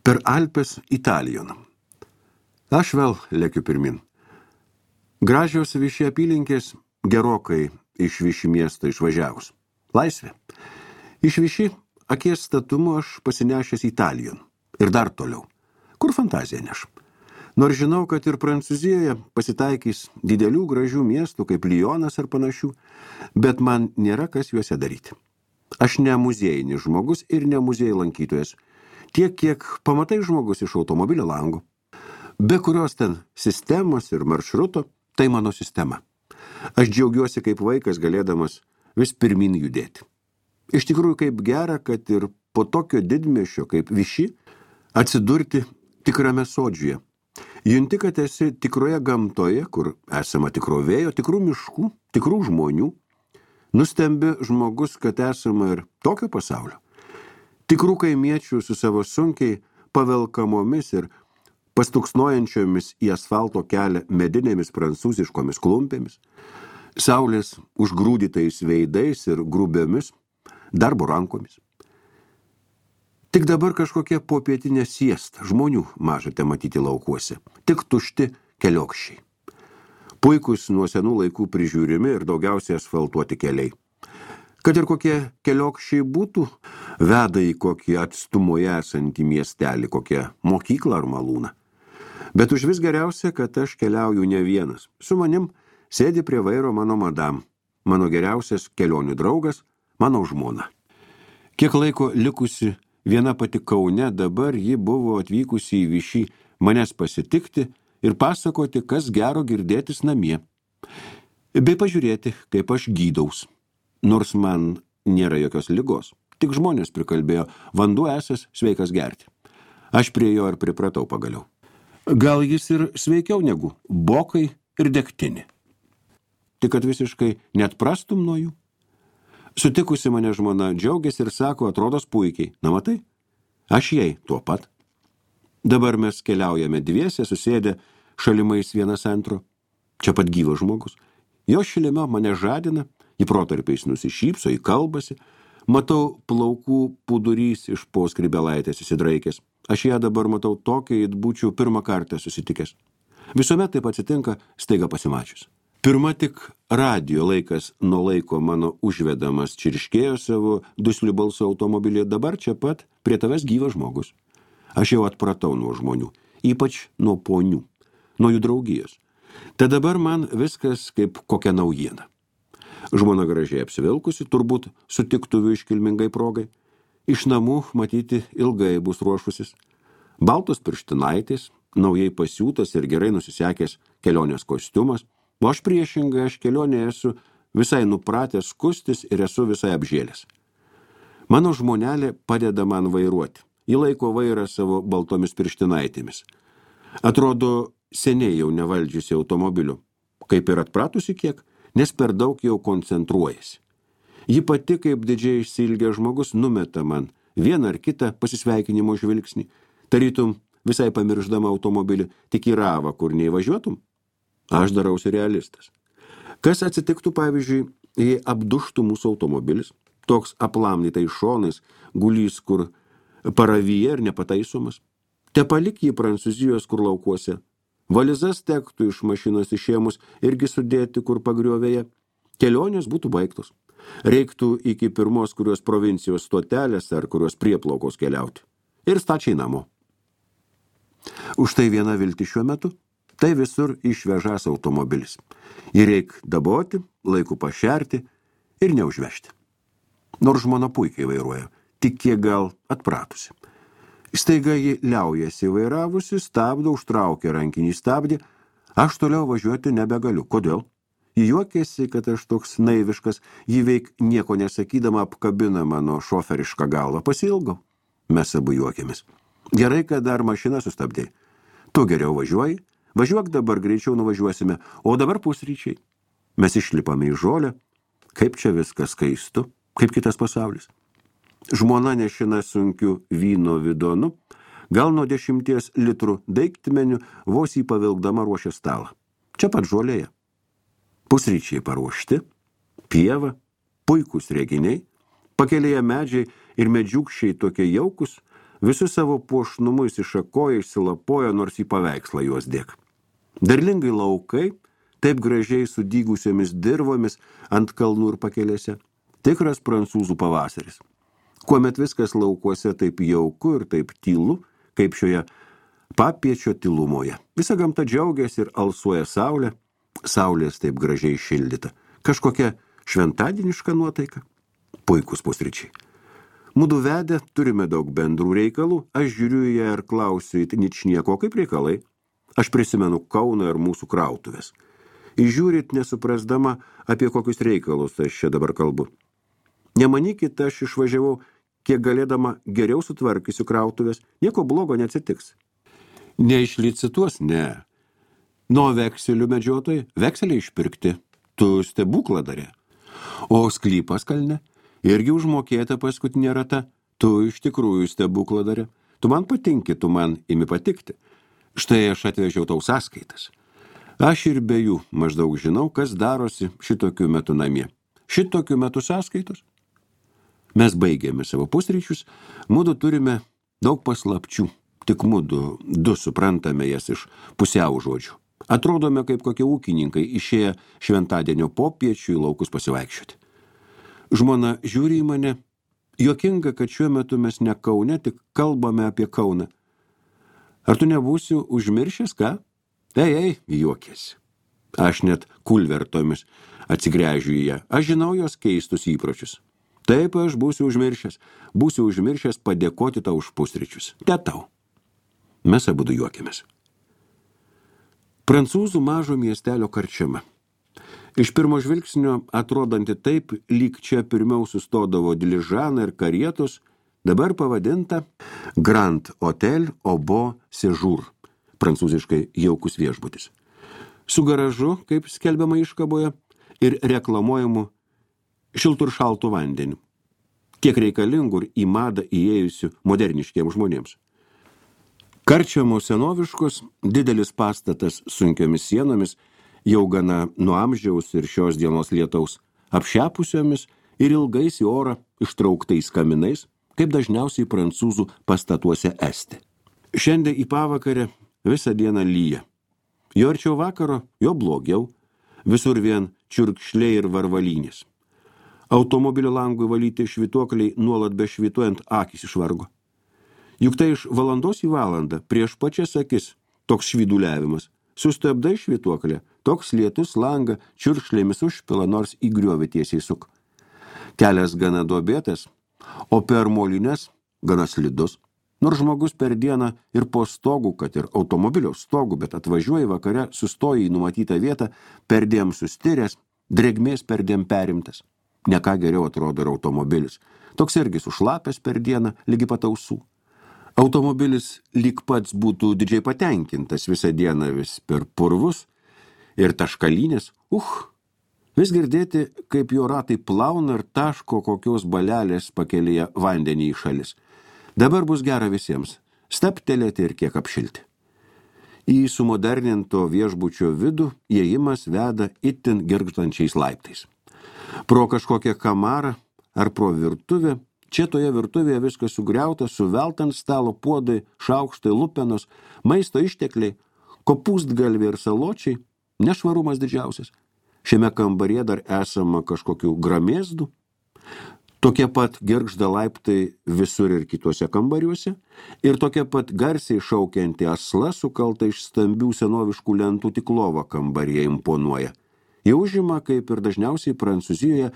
Per Alpes Italijon. Aš vėl lėkiu pirmin. Gražios Viši apylinkės gerokai iš Viši miesto išvažiavus. Laisvė. Iš Viši akies statumu aš pasinešęs Italijon. Ir dar toliau. Kur fantazija neš? Nors žinau, kad ir Prancūzijoje pasitaikys didelių gražių miestų kaip Lyonas ar panašių, bet man nėra kas juose daryti. Aš ne muziejinis žmogus ir ne muziejų lankytojas. Tiek, kiek pamatai žmogus iš automobilio lango. Be kurios ten sistemos ir maršruto, tai mano sistema. Aš džiaugiuosi kaip vaikas galėdamas vis pirmin judėti. Iš tikrųjų kaip gera, kad ir po tokio didmiesčio kaip Viši atsidurti tikrame sodžiuje. Junti, kad esi tikroje gamtoje, kur esama tikro vėjo, tikrų miškų, tikrų žmonių. Nustembi žmogus, kad esama ir tokio pasaulio. Tikrų kaimiečių su savo sunkiai pavelkamomis ir pastuksnojančiomis į asfalto kelią medinėmis prancūziškomis klumpėmis, saulės užgrūdytais veidais ir grubiomis darbo rankomis. Tik dabar kažkokia popietinė siesta, žmonių mažate matyti laukuose, tik tušti keliokščiai. Puikus nuo senų laikų prižiūrimi ir daugiausiai asfaltuoti keliai. Kad ir kokie keliokščiai būtų, veda į kokį atstumoje esantį miestelį, kokią mokyklą ar malūną. Bet už vis geriausia, kad aš keliauju ne vienas. Su manim sėdi prie vairo mano madam, mano geriausias kelionių draugas, mano žmona. Kiek laiko likusi viena pati Kaune, dabar ji buvo atvykusi į Višį manęs pasitikti ir pasakoti, kas gero girdėtis namie. Bei pažiūrėti, kaip aš gydaus. Nors man nėra jokios ligos. Tik žmonės prikalbėjo, vanduo esas sveikas gerti. Aš prie jo ir pripratau pagaliau. Gal jis ir sveikiau negu bokai ir degtinė. Tik kad visiškai net prastum nuo jų. Sutikusi mane žmona džiaugiasi ir sako, atrodos puikiai. Na matai, aš jai tuo pat. Dabar mes keliaujame dviese, susėdę šalimais vienas antro. Čia pat gyvas žmogus. Jo šilime mane žadina, į protarpiais nusišypso, į kalbasi. Matau plaukų pūdurys iš po skrybelaitės įsidraikęs. Aš ją dabar matau tokiai, it būčiau pirmą kartą susitikęs. Visuomet taip atsitinka staiga pasimačius. Pirma tik radijo laikas nuo laiko mano užvedamas čirškėjo savo dusliu balsu automobilį, dabar čia pat prie tavęs gyvas žmogus. Aš jau atpratau nuo žmonių, ypač nuo ponių, nuo jų draugijos. Tai dabar man viskas kaip kokia naujiena. Žmona gražiai apsivilkusi, turbūt sutiktuvių iškilmingai progai. Iš namų, matyti, ilgai bus ruošusis. Baltos pirštinaitės, naujai pasiūtas ir gerai nusisekęs kelionės kostiumas, o aš priešingai, aš kelionėje esu visai nupratęs skustis ir esu visai apžėlęs. Mano žmonelė padeda man vairuoti. Ji laiko vairą savo baltomis pirštinaitėmis. Atrodo, seniai jau nevaldžiusi automobiliu, kaip ir atpratusi kiek, nes per daug jau koncentruojasi. Ji pati, kaip didžiai išsiilgęs žmogus, numeta man vieną ar kitą pasisveikinimo žvilgsnį, tarytum visai pamiršdama automobilį, tik į ravą, kur neįvažiuotum. Aš darausi realistas. Kas atsitiktų, pavyzdžiui, jei apduštų mūsų automobilis, toks aplamnytais šonais, gulys kur paravyje ir nepataisomas. Te palik jį Prancūzijos kur laukuose. Valizas tektų iš mašinos išėmus irgi sudėti kur pagriovėje. Kelionės būtų baigtos. Reiktų iki pirmos kurios provincijos stotelės ar kurios prieplaukos keliauti. Ir stačiai namo. Už tai viena vilti šiuo metu, tai visur išvežas automobilis. Jį reik daboti, laiku pašerti ir neužvežti. Nors žmona puikiai vairuoja, tik kiek gal atpratusi. Staiga ji liaujasi vairavusi, stabdo, užtraukia rankinį stabdį, aš toliau važiuoti nebegaliu. Kodėl? Ji juokėsi, kad aš toks naiviškas, ji veik nieko nesakydama apkabina mano šoferišką galvą. Pasiilgau. Mes abu juokėmis. Gerai, kad dar mašiną sustabdėjai. Tu geriau važiuoji, važiuok dabar, greičiau nuvažiuosime, o dabar pusryčiai. Mes išlipame į žolę, kaip čia viskas skaistu, kaip kitas pasaulis. Žmona nešina sunkiu vyno vidonu, gal nuo 10 litrų daiktmeniu, vos jį pavilkdama ruošia stalą. Čia pat žolėje. Pusryčiai paruošti, pieva, puikūs reginiai, pakelėje medžiai ir medžiukščiai tokie jaukus, Visi savo puošnumu išsišakoja, išsilapoja, nors į paveikslą juos dėk. Derlingai laukai, taip gražiai sudygusiomis dirvomis ant kalnų ir pakelėse. Tikras prancūzų pavasaris. Kuomet viskas laukuose taip jauku ir taip tylu, kaip šioje papiečio tylumoje. Visa gamta džiaugiasi ir alsuoja saulė, saulės taip gražiai šildyta. Kažkokia šventadieniška nuotaika. Puikus pusryčiai. Mudu vedę, turime daug bendrų reikalų, aš žiūriu į ją ir klausiu į ničnieko, kaip reikalai. Aš prisimenu Kauną ir mūsų krautuvės. Įžiūrit nesuprasdama, apie kokius reikalus aš čia dabar kalbu. Nemanykit, aš išvažiavau, kiek galėdama geriau sutvarkysiu krautuvės, nieko blogo neatsitiks. Neišlicituos, ne. Nuo vekselių medžiotojai, vekseliai išpirkti, tu stebukladarė. O sklypas kalne, irgi užmokėta paskutinė rata, tu iš tikrųjų stebukladarė. Tu man patinki, tu man imi patikti. Štai aš atvežiau tau sąskaitas. Aš ir be jų maždaug žinau, kas darosi šitokiu metu namie. Šitokiu metu sąskaitos? Mes baigėme savo pusryčius, mudu turime daug paslapčių, tik mudu du suprantame jas iš pusiau žodžių. Atrodome kaip kokie ūkininkai išėję šventadienio popiečių į laukus pasivaikščioti. Žmona žiūri į mane, juokinga, kad šiuo metu mes ne Kaune, tik kalbame apie Kauną. Ar tu nebūsi užmiršęs, ką? Ei, juokėsi. Aš net kulvertomis atsigręžiu į ją. Aš žinau jos keistus įpročius. Taip, aš būsiu užmiršęs padėkoti tau už pusryčius. Te tau. Mes abudu juokėmės. Prancūzų mažo miestelio karčiama. Iš pirmo žvilgsnio atrodanti taip, lyg čia pirmiau sustodavo diližanai ir karietos, dabar pavadinta Grand Hotel au Beau Séjour, prancūziškai jaukus viešbutis. Su garažu, kaip skelbiama iškaboje, ir reklamuojamu šiltų ir šaltų vandeniu. Kiek reikalingų ir į madą įėjusių moderniškiems žmonėms. Karčiamų senoviškos, didelis pastatas sunkiomis sienomis, jau gana nuo amžiaus ir šios dienos lietaus, apšepusiomis ir ilgais į orą ištrauktais kaminais, kaip dažniausiai prancūzų pastatuose esti. Šiandien į pavakarę visą dieną lyja. Jo arčiau vakaro, jo blogiau, visur vien čiurkšliai ir varvalynės. Automobilio langui valyti švytuokliai nuolat bešvytuojant akis išvargo. Juk tai iš valandos į valandą, prieš pačias akis, toks švyduliavimas. Sustabdai švytuoklę, toks lietus langą čiurkšlėmis užpila, nors į griovį tiesiai suk. Kelias gana duobėtas, o per molines gana slidus. Nors žmogus per dieną ir po stogų, kad ir automobilio stogų, bet atvažiuoja vakare, sustoja į numatytą vietą, perdėm sustiręs, drėgmės perdėm perimtas. Ne ką geriau atrodo ir automobilis. Toks irgi sušlapęs per dieną, lygi pat ausų. Automobilis lyg pats būtų didžiai patenkintas visą dieną vis per purvus ir taškalynės. Vis girdėti, kaip jo ratai plauna ir taško kokios balelės pakelyje vandenį į šalis. Dabar bus gera visiems, staptelėti ir kiek apšilti. Į sumoderninto viešbučio vidų įėjimas veda itin girgždančiais laiptais. Pro kažkokią kamarą ar pro virtuvę, čia toje virtuvėje viskas sugriauta, suvelta ant stalo puodai, šaukštai, lupenos, maisto ištekliai, kopūstgalviai ir saločiai, nešvarumas didžiausias. Šiame kambaryje dar esama kažkokių gramėzdų. Tokie pat girgžda laiptai visur ir kituose kambariuose ir tokia pat garsiai šaukianti asla sukalta iš stambių senoviškų lentų tik lova kambaryje imponuoja. Jie užima, kaip ir dažniausiai Prancūzijoje,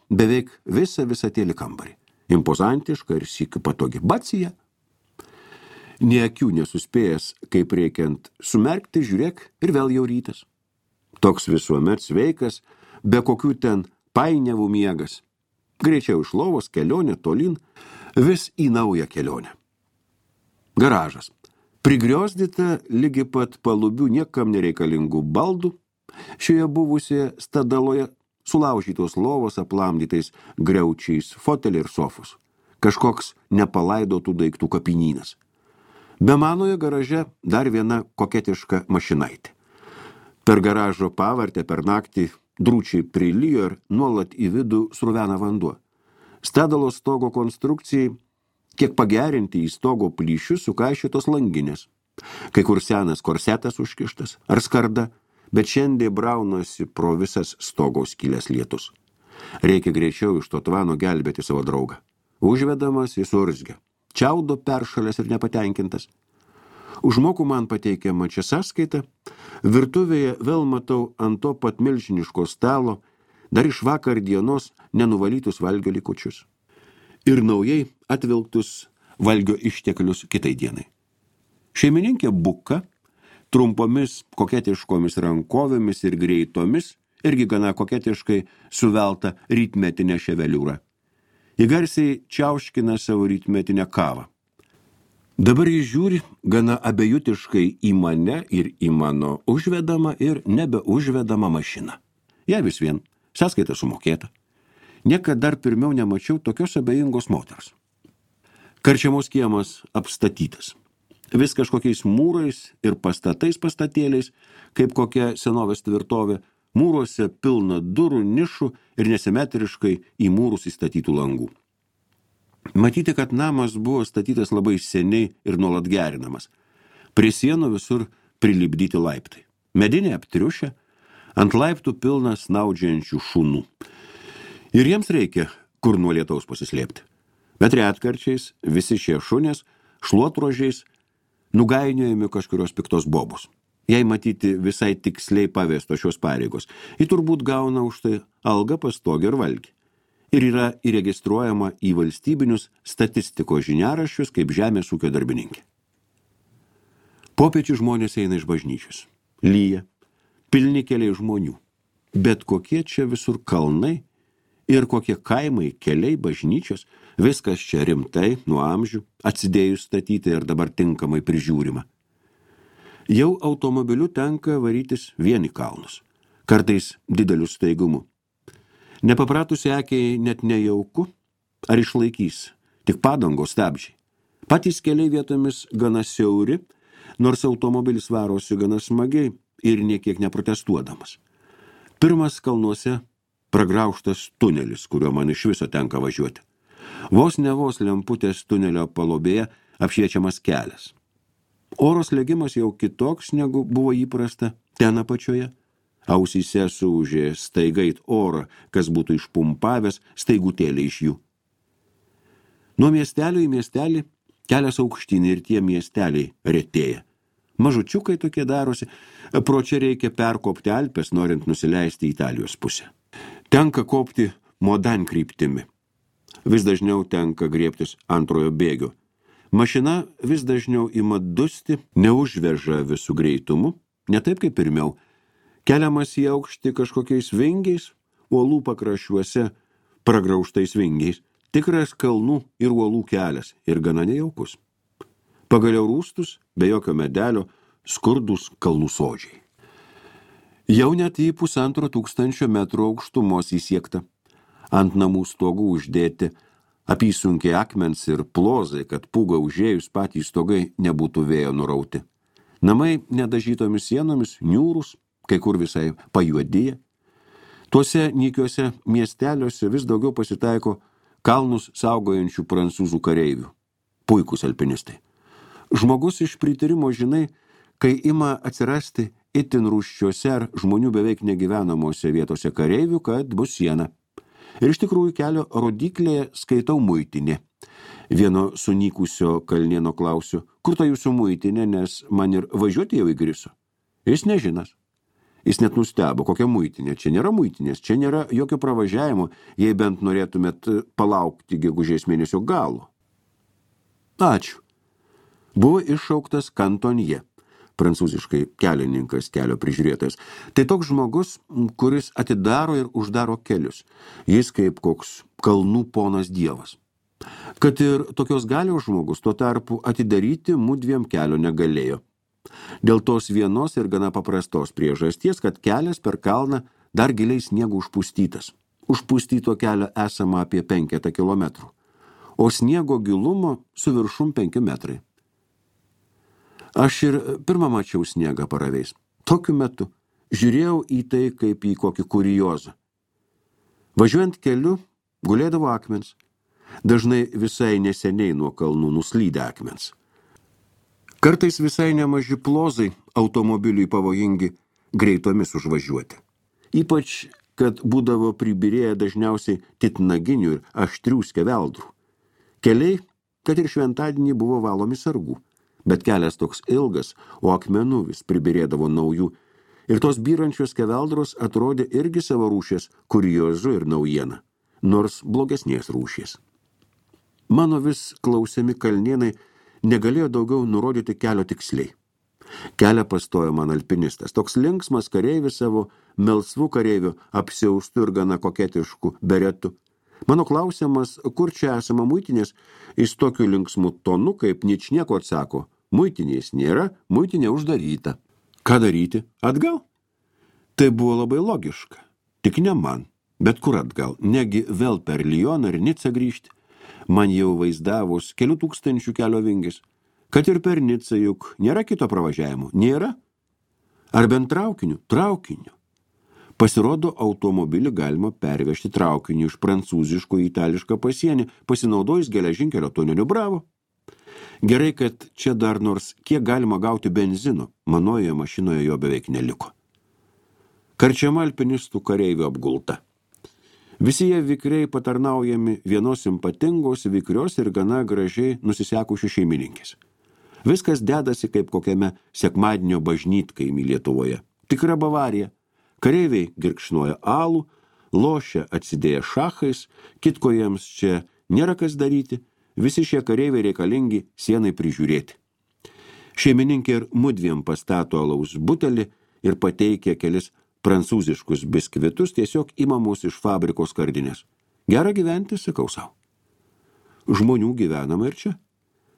beveik visatėlį kambarį. Impozantiška ir sykiu patogi. Bacija. Nė akių nesuspėjęs, kaip reikiant sumerkti, žiūrėk ir vėl jau rytas. Toks visuomet sveikas, be kokių ten painiavų miegas. Greičiau iš lovos kelionė tolin, vis į naują kelionę. Garažas. Prigriozdita lygi pat palubių niekam nereikalingų baldų, šioje buvusioje stadaloje sulaužytos lovos aplamdytais griaučiais, foteliai ir sofus. Kažkoks nepalaidotų daiktų kapinynas. Be manoje garaže dar viena koketiška mašinaitė. Per garažo pavartę per naktį drūčiai prilijo ir nuolat į vidų sruvena vanduo. Stadalo stogo konstrukcijai kiek pagerinti į stogo plyšius sukaišytos langinės. Kai kur senas korsetas užkištas ar skarda, bet šiandien braunosi pro visas stogo skylės lietus. Reikia greičiau iš to tvano gelbėti savo draugą. Užvedamas jis urzgia. Čiaudo peršalęs ir nepatenkintas. Užmoku man pateikiama čia sąskaita. Virtuvėje vėl matau ant to pat milžiniško stalo dar iš vakar dienos nenuvalytus valgio likučius. Ir naujai atvilktus valgio išteklius kitai dienai. Šeimininkė buka, trumpomis koketiškomis rankovėmis ir greitomis, irgi gana koketiškai suvelta rytmetinė ševeliūra. Ji garsiai čiauškina savo rytmetinę kavą. Dabar jis žiūri gana abejutiškai į mane ir į mano užvedamą ir nebeužvedamą mašiną. Ja vis vien, sąskaita sumokėta. Niekad dar pirmiau nemačiau tokios abejingos moters. Karčiamos kiemas apstatytas. Vis kažkokiais mūrais ir pastatėliais, kaip kokia senovės tvirtovė, mūruose pilna durų, nišų ir nesimetriškai į mūrus įstatytų langų. Matyti, kad namas buvo statytas labai seniai ir nuolat gerinamas. Prie sienų visur prilipdyti laiptai. Medinė aptriušė, ant laiptų pilna snaudžiančių šunų. Ir jiems reikia, kur nuo lietaus pasislėpti. Bet retkarčiais visi šie šunės šluotrožiais nugainiojami kažkurios piktos bobos. Jei matyti visai tiksliai pavesto šios pareigos, ji turbūt gauna už tai algą, pastogę ir valgį. Ir yra įregistruojama į valstybinius statistikos žiniaraščius kaip žemės ūkio darbininkė. Popiečių žmonės eina iš bažnyčios. Lyja, pilni keliai žmonių. Bet kokie čia visur kalnai ir kokie kaimai, keliai, bažnyčios, viskas čia rimtai, nuo amžių, atsidėjus statyti ir dabar tinkamai prižiūrima. Jau automobiliu tenka varytis vien į kalnus, kartais dideliu staigumu. Nepapratusi akiai net nejauku, ar išlaikys, tik padangos stabdžiai. Patys keliai vietomis gana siauri, nors automobilis varosi gana smagiai ir niekiek neprotestuodamas. Pirmas kalnuose pragraužtas tunelis, kuriuo man iš viso tenka važiuoti. Vos ne vos lemputės tunelio palobėje apšviečiamas kelias. Oro slėgimas jau kitoks, negu buvo įprasta ten apačioje. Ausyse suūžė staigait orą, kas būtų išpumpavęs staigutėlį iš jų. Nuo miestelio į miestelį kelias aukštyn ir tie miesteliai retėja. Mažučiukai tokie darosi, pro čia reikia perkopti Alpes, norint nusileisti į Italijos pusę. Tenka kopti Modan kryptimi. Vis dažniau tenka griebtis antrojo bėgio. Mašina vis dažniau ima dusti, neužveža visų greitumu, ne taip kaip pirmiau. Keliamas į aukštį kažkokiais vingiais, uolų pakraščiuose pragraužtais vingiais, tikras kalnų ir uolų kelias ir gana nejaukus. Pagaliau rūstus, be jokio medelio, skurdus kalnų sodžiai. Jau net į 1500 metrų aukštumos įsiekta. Ant namų stogų uždėti apysunkiai akmens ir plozai, kad pūga užėjus patys stogai nebūtų vėjo nurauti. Namai nedažytomis sienomis, niūrus, kai kur visai pajuodyje. Tuose nykiuose miesteliuose vis daugiau pasitaiko kalnus saugojančių prancūzų kareivių. Puikūs alpinistai. Žmogus iš prityrimo žinai, kai ima atsirasti itin rūsčiuose ar žmonių beveik negyvenamose vietose kareivių, kad bus siena. Ir iš tikrųjų kelio rodiklėje skaitau muitinė. Vieno sunykusio kalnieno klausiu, kur ta jūsų muitinė, nes man ir važiuoti jau įgriso. Jis nežinas. Jis net nustebo, kokia muitinė. Čia nėra muitinės, čia nėra jokio pravažiavimo, jei bent norėtumėt palaukti gegužės mėnesio galo. Ačiū. Buvo iššauktas kantonje, prancūziškai kelininkas, kelio prižiūrėtojas. Tai toks žmogus, kuris atidaro ir uždaro kelius. Jis kaip koks kalnų ponas dievas. Kad ir tokios galios žmogus, tuo tarpu atidaryti mudviem kelio negalėjo. Dėl tos vienos ir gana paprastos priežasties, kad kelias per kalną dar giliai sniegu užpustytas. Užpustyto kelio esama apie 5 kilometrų, o sniego gilumo su viršum 5 metrai. Aš ir pirmą mačiau sniegą paraveis. Tokiu metu žiūrėjau į tai kaip į kokį kuriozą. Važiuojant keliu gulėdavo akmens. dažnai visai neseniai nuo kalnų nuslydę akmens. Kartais visai nemaži plozai automobiliui pavojingi greitomis užvažiuoti. Ypač, kad būdavo pribirėję dažniausiai titnaginių ir aštrių skeveldrų. Keliai, kad ir šventadienį buvo valomi sargų, bet kelias toks ilgas, o akmenų vis pribirėdavo naujų, ir tos byrančios skeveldros atrodė irgi savo rūšies kuriozu ir naujiena, nors blogesnės rūšies. Mano vis klausiami kalnėnai negalėjo daugiau nurodyti kelio tiksliai. Kelią pastojo man alpinistas, toks linksmas kareivis savo melsvų kareivių apsiaustų ir gana koketiškų beretų. Mano klausimas, kur čia esama muitinės, jis tokiu linksmu tonu, kaip ničnieko atsako, muitinės nėra, muitinė uždaryta. Ką daryti? Atgal? Tai buvo labai logiška. Tik ne man, bet kur atgal, negi vėl per Lioną ir Nicą grįžti. Man jau vaizdavus kelių tūkstančių kelio vingis, kad ir per Nicą juk nėra kito pravažiavimo, nėra? Ar bent traukiniu? Traukiniu. Pasirodo, automobilį galima pervežti traukiniu iš prancūziško į itališką pasienį, pasinaudojus geležinkelio tuneliu. Bravo. Gerai, kad čia dar nors kiek galima gauti benzino, manoje mašinoje jo beveik neliko. Karčiama alpinistų kareivių apgulta. Visi jie vikriai patarnaujami vienos simpatingos, vikrios ir gana gražiai nusisekusių šeimininkės. Viskas dedasi kaip kokiame sekmadienio bažnytkaimy Lietuvoje. Tikra Bavarija. Kareiviai girkšnoja alų, lošia atsidėję šachais, kitko jiems čia nėra kas daryti, visi šie kareiviai reikalingi sienai prižiūrėti. Šeimininkė ir mudviem pastato alaus butelį ir pateikia kelis prancūziškus biskvitus, tiesiog imamus iš fabrikos skardinės. Gera gyventi, sakau sau. Žmonių gyvenama ir čia.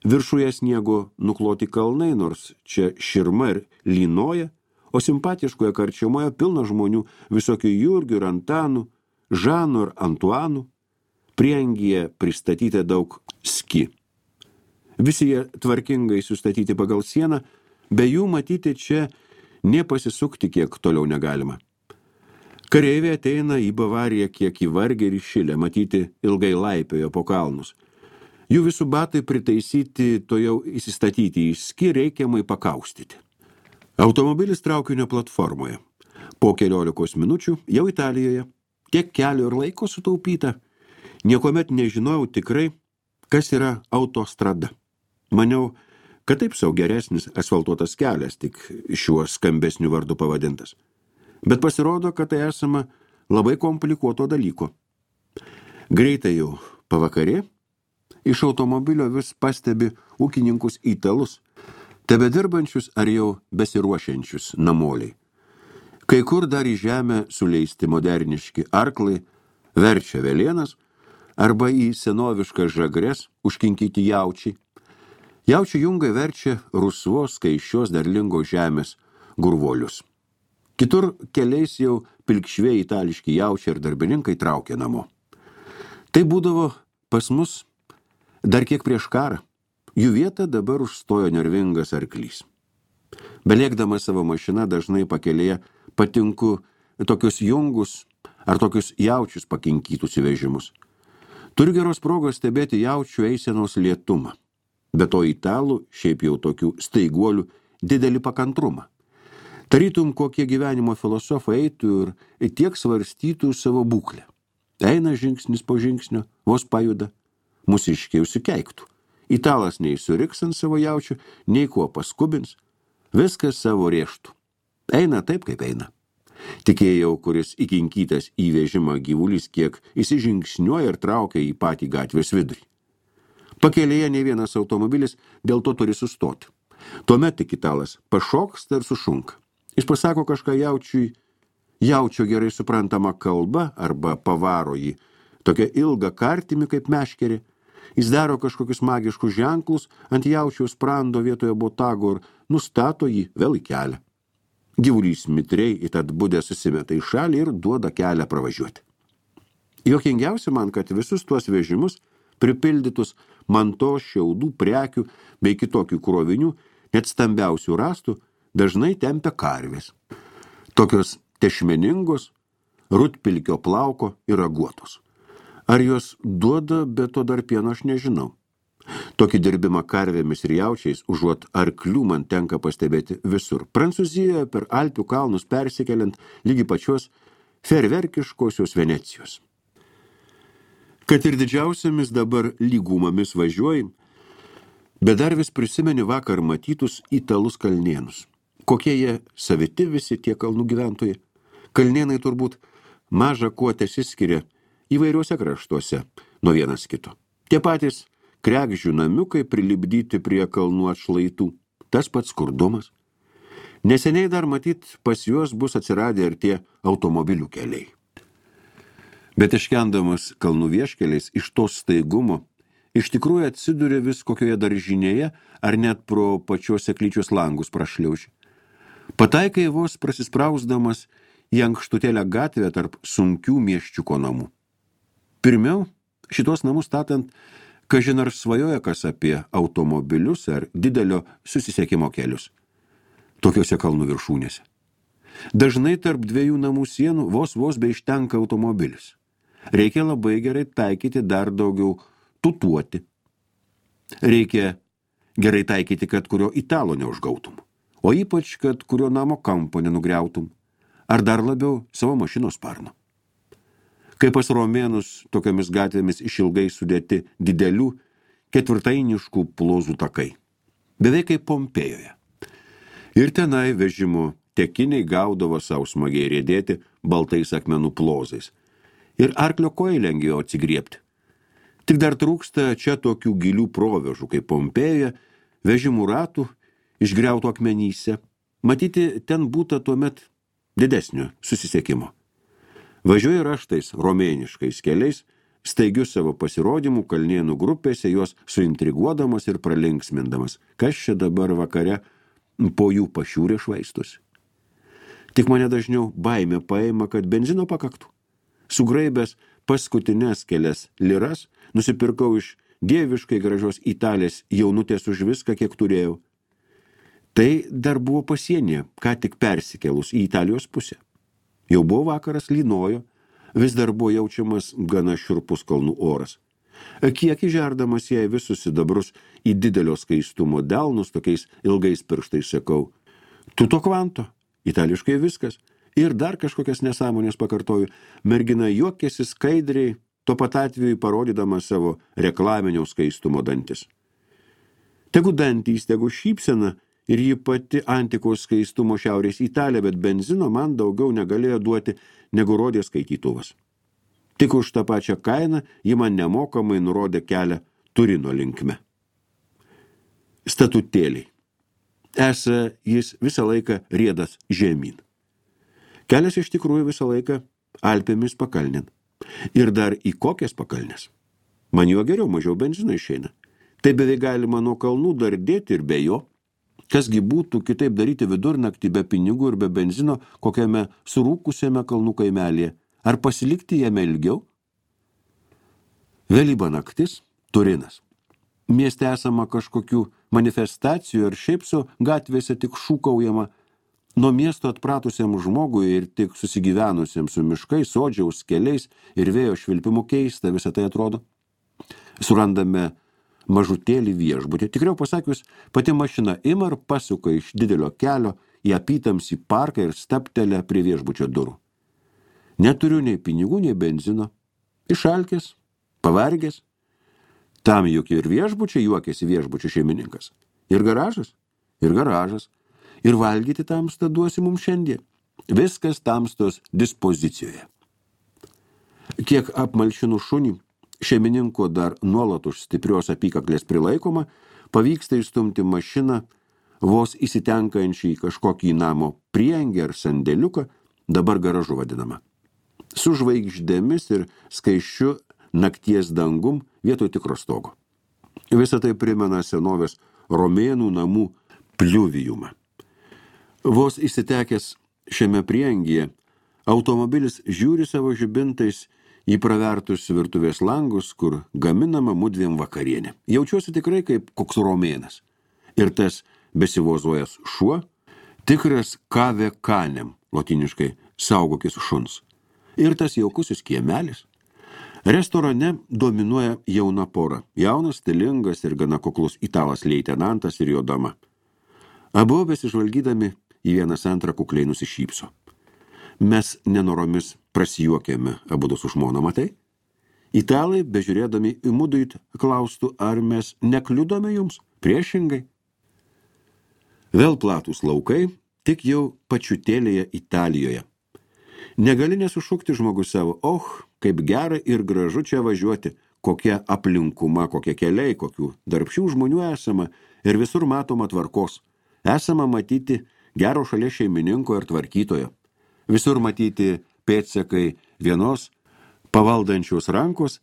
Viršuje sniego nukloti kalnai, nors čia širma ir lynoja, o simpatiškoje karčiamoje pilna žmonių, visokių Jurgių ir Antanų, Žanų ir Antuanų. Prieangyje pristatyti daug ski. Visi jie tvarkingai sustatyti pagal sieną, be jų matyti čia nepasisukti kiek toliau negalima. Kareiviai ateina į Bavariją kiek įvargę ir iššilę, matyti ilgai laipiojo po kalnus. Jų visų batai pritaisyti, to jau įsistatyti į ski, reikiamai pakaustyti. Automobilis traukinio platformoje. Po 14 minučių jau Italijoje. Tiek kelio ir laiko sutaupyta. Niekomet nežinojau tikrai, kas yra autostrada. Maniau, kad taip sau geresnis asfaltuotas kelias, tik šiuo skambesniu vardu pavadintas. Bet pasirodo, kad tai esama labai komplikuoto dalyko. Greitai jau pavakarė, iš automobilio vis pastebi ūkininkus italus, tebedirbančius ar jau besiruošiančius namoliai. Kai kur dar į žemę suleisti moderniški arklai, verčia velėnas, arba į senoviškas žagres užkinkyti jaučiai. Jaučių jungai verčia rusvos, skaičios derlingos žemės gurvolius. Kitur keliais jau pilkšviai itališki jaučiai ir darbininkai traukia namo. Tai būdavo pas mus dar kiek prieš karą. Jų vietą dabar užstojo nervingas arklys. Beliekdamas savo mašiną dažnai pakelėje patinku tokius jungus ar tokius jaučius pakinkytus įvežimus. Turiu geros progos stebėti jaučių eisenos lėtumą. Be to italų, šiaip jau tokių staiguolių, didelį pakantrumą. Tarytum kokie gyvenimo filosofai eitų ir tiek svarstytų savo būklę. Eina žingsnis po žingsnio, vos pajuda, mūsiškiai užsikeiktų. Italas nei suriks ant savo jaučių, nei kuo paskubins, viskas savo rėžtų. Eina taip, kaip eina. Tikėjau, kuris įkinkytas į vežimą gyvulys, kiek įsižingsniuoja ir traukia į patį gatvės vidurį. Pakelėje ne vienas automobilis dėl to turi sustoti. Tuomet tik italas pašoksta ir sušunka. Jis pasako kažką jaučiui, jaučio gerai suprantama kalba arba pavaro jį tokia ilga kartimi kaip meškerė. Jis daro kažkokius magiškus ženklus ant jaučiaus sprando vietoje botago ir nustato jį vėl į kelią. Gyvulys mitriai į tad budę susimeta į šalį ir duoda kelią pravažiuoti. Juokingiausia man, kad visus tuos vežimus pripildytus mantos, šiaudų, prekių bei kitokių krovinių, net stambiausių rastų, dažnai tempia karvės. Tokios tešmeningos, rutpilkio plauko ir raguotos. Ar jos duoda, bet to dar pieno aš nežinau. Tokį dirbimą karvėmis ir jaučiais, užuot arklių, man tenka pastebėti visur. Prancūzijoje per Alpių kalnus persikeliant lygi pačios ferverkiškosios Venecijos. Kad ir didžiausiamis dabar lygumomis važiuoji, bet dar vis prisimeni vakar matytus italus kalnėnus. Kokie jie saviti visi tie kalnų gyventojai. Kalnėnai turbūt maža kuo tesiskiria įvairiuose kraštuose nuo vienas kito. Tie patys kregždžių namiukai prilipdyti prie kalnų atšlaitų. Tas pats skurdumas. Neseniai dar matyt pas juos bus atsiradę ir tie automobilių keliai. Bet iškendamas kalnų vieškeliais iš to staigumo, iš tikrųjų atsiduria vis kokioje daržinėje ar net pro pačios seklyčios langus prašliauži. Pataikai vos prasisprausdamas į ankštutėlę gatvę tarp sunkių mieščiuko namų. Pirmiau, šitos namus statant, kažin ar svajoja kas apie automobilius ar didelio susisiekimo kelius. Tokiuose kalnų viršūnėse. Dažnai tarp dviejų namų sienų vos beištenka automobilis. Reikia labai gerai taikyti dar daugiau tutuoti. Reikia gerai taikyti, kad kurio italo neužgautum. O ypač, kad kurio namo kampo nenugriautum. Ar dar labiau savo mašinos sparno. Kai pas romėnus tokiamis gatvėmis išilgai sudėti didelių ketvirtainiškų plozų takai. Beveik kaip Pompėjoje. Ir tenai vežimo tekiniai gaudavo savo smagiai riedėti baltais akmenų plozais. Ir arklio kojai lengviau atsigriebti. Tik dar trūksta čia tokių gilių provežų kaip Pompėjoje, vežimų ratų, išgriautų akmenyse. Matyti, ten būta tuomet didesnio susisiekimo. Važiuoja raštais romėniškais keliais, staigiu savo pasirodymų kalnėnų grupėse, juos suintriguodamas ir pralinksmindamas. Kas čia dabar vakare po jų pašiūrė švaistosi? Tik mane dažniau baimė paima, kad benzino pakaktų. Sugraibęs paskutines kelias liras, nusipirkau iš dieviškai gražios Italės jaunutės už viską, kiek turėjau. Tai dar buvo pasienyje, ką tik persikėlus į Italijos pusę. Jau buvo vakaras, lynojo, vis dar buvo jaučiamas gana šiurpus kalnų oras. Kiek įžerdamas jai visus sidabrus į didelio skaistumo delnus, tokiais ilgais pirštais sakau, tuto kvanto, itališkai viskas, ir dar kažkokias nesąmonės pakartoju, mergina juokėsi skaidriai, tuo pat atveju parodydama savo reklaminio skaistumo dantis. Tegu dantys, tegu šypsena, ir ji pati antikos skaistumo šiaurės Italija, bet benzino man daugiau negalėjo duoti, negu rodė skaitytuvas. Tik už tą pačią kainą ji man nemokamai nurodė kelią Turino linkme. Statutėliai. Esą jis visą laiką riedas žemyn. Kelias iš tikrųjų visą laiką Alpėmis pakalnin. Ir dar į kokias pakalnes? Man juo geriau, mažiau benzino išeina. Tai beveik galima nuo kalnų dardėti ir be jo. Kasgi būtų kitaip daryti vidurnaktį be pinigų ir be benzino kokiame surūkusiame kalnų kaimelėje? Ar pasilikti jame ilgiau? Vėlyva naktis, Turinas. Mieste esama kažkokių manifestacijų ir šiaip su gatvėse tik šūkaujama. Nuo miesto atpratusiam žmogui ir tik susigyvenusiam su miškais, sodžiaus keliais ir vėjo švilpimu keista visą tai atrodo. Surandame mažutėlį viešbutį. Tikriau pasakius, pati mašina ima ir pasuka iš didelio kelio į apytamsį parką ir staptelę prie viešbučio durų. Neturiu nei pinigų, nei benzino. Išalkęs, pavargęs. Tam juk ir viešbučiai juokėsi viešbučio šeimininkas. Ir garažas, ir garažas. Ir valgyti tamstą duosi mums šiandien. Viskas tamstos dispozicijoje. Kiek apmalšinu šunį, šeimininko dar nuolat už stiprios apykaklės prilaikoma, pavyksta įstumti mašiną, vos įsitenkančiai į kažkokį namo priengį ar sandėliuką, dabar garažu vadinama. Su žvaigždėmis ir skaisčiu nakties dangum vietoj tikro stogo. Visą tai primena senovės romėnų namų pliuvijumą. Vos įsitekęs šiame priengyje, automobilis žiūri savo žibintais į pravertus virtuvės langus, kur gaminama mudviem vakarienė. Jaučiuosi tikrai kaip koks romėnas. Ir tas besivozuojas šuo, tikras kave canem, lotiniškai saugokis šuns. Ir tas jaukusis kiemelis. Restorane dominuoja jauna pora. Jaunas, stilingas ir gana kuklus italas leitenantas ir jo dama. Abu besižvalgydami į vienas antrą kukliai nusišypso. Mes nenoromis prasijuokėme abudu su žmona, matai? Italai, bežiūrėdami į muduit, klaustų, ar mes nekliudome jums? Priešingai. Vėl platūs laukai, tik jau pačiutėlėje Italijoje. Negali nesušukti žmogus savo, kaip gera ir gražu čia važiuoti, kokia aplinkuma, kokie keliai, kokių darbščių žmonių esama ir visur matoma tvarkos. Esama matyti gero šalia šeimininko ir tvarkytojo. Visur matyti pėdsakai vienos pavaldančios rankos,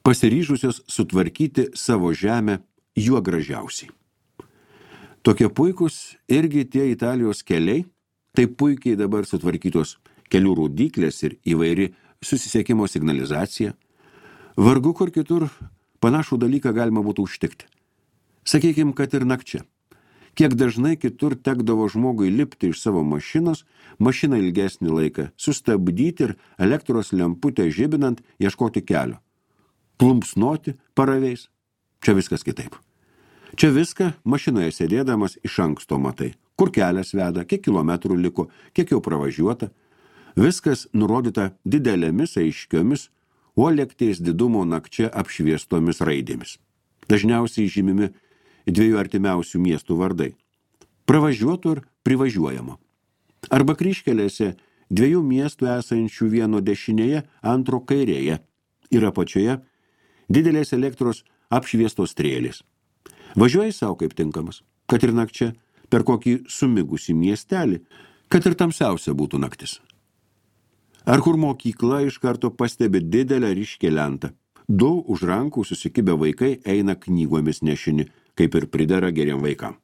pasiryžusios sutvarkyti savo žemę juo gražiausiai. Tokie puikus irgi tie Italijos keliai, taip puikiai dabar sutvarkytos kelių rodyklės ir įvairi susisiekimo signalizacija. Vargu kur kitur panašų dalyką galima būtų užtikti. Sakykim, kad ir nakčia. Kiek dažnai kitur tekdavo žmogui lipti iš savo mašinos, mašiną ilgesnį laiką sustabdyti ir elektros lemputę žibinant ieškoti kelio. Plumpsnoti paraveis. Čia viskas kitaip. Čia viską mašinoje sėdėdamas iš anksto matai. Kur kelias veda, kiek kilometrų liko, kiek jau pravažiuota. Viskas nurodyta didelėmis aiškiomis, o lėkties didumo nakčia apšviestomis raidėmis. Dažniausiai žymimi 2 artimiausių miestų vardai. Pravažiuotų ir privažiuojamo. Arba kryžkelėse 2 miestų esančių vieno dešinėje, antro kairėje ir apačioje didelės elektros apšviestos strėlės. Važiuoji savo kaip tinkamas, kad ir nakčia, per kokį sumigusį miestelį, kad ir tamsiausia būtų naktis. Ar kur mokykla iš karto pastebi didelę ryškę lentą. 2 už rankų susikibę vaikai eina knygomis nešini, kaip ir pridera geriem vaikam.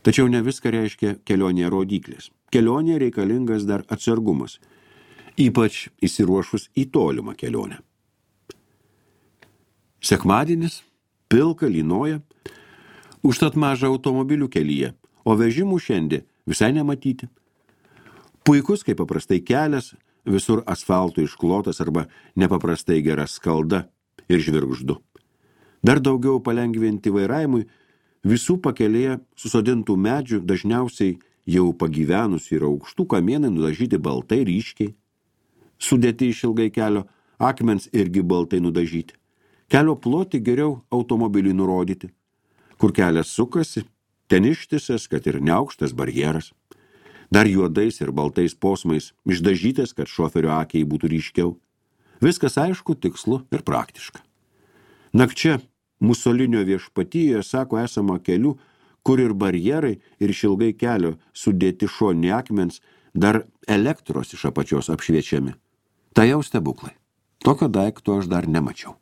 Tačiau ne viską reiškia kelionėje rodyklės. Kelionėje reikalingas dar atsargumas, ypač įsiruošus į tolimą kelionę. Sekmadienis, pilka lynoja, užtat maža automobilių kelyje, o vežimų šiandien visai nematyti. Puikus, kaip paprastai kelias, visur asfaltų išklotas arba nepaprastai gera skalda ir žvirgždu. Dar daugiau palengvinti vairavimui visų pakelėje susodintų medžių dažniausiai jau pagyvenusių ir aukštų kamienai nudažyti baltai ryškiai. Sudėti iš ilgai kelio akmens irgi baltai nudažyti. Kelio plotį geriau automobiliui nurodyti. Kur kelias sukasi, ten ištisas, kad ir neaukštas barjeras. Dar juodais ir baltais posmais išdažytas, kad šoferio akiai būtų ryškiau. Viskas aišku, tikslu ir praktiška. Nakčia Musolinio viešpatyje, sako, esama kelių, kur ir barjerai ir išilgai kelio sudėti šoni akmens, dar elektros iš apačios apšviečiami. Tai jau stebuklai. Tokio daikto aš dar nemačiau.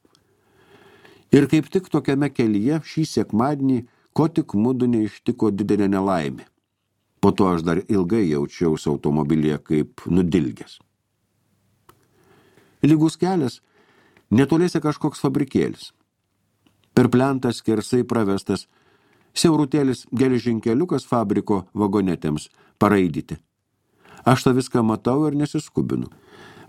Ir kaip tik tokiame kelyje šį sekmadienį, ko tik mudu neištiko didelė nelaimė. Po to aš dar ilgai jaučiausi automobilyje kaip nudilgęs. Lygus kelias, netoliese kažkoks fabrikėlis. Per plentą skersai pravestas siaurutėlis geležinkeliukas fabriko vagonetėms paraidyti. Aš tą viską matau ir nesiskubinu.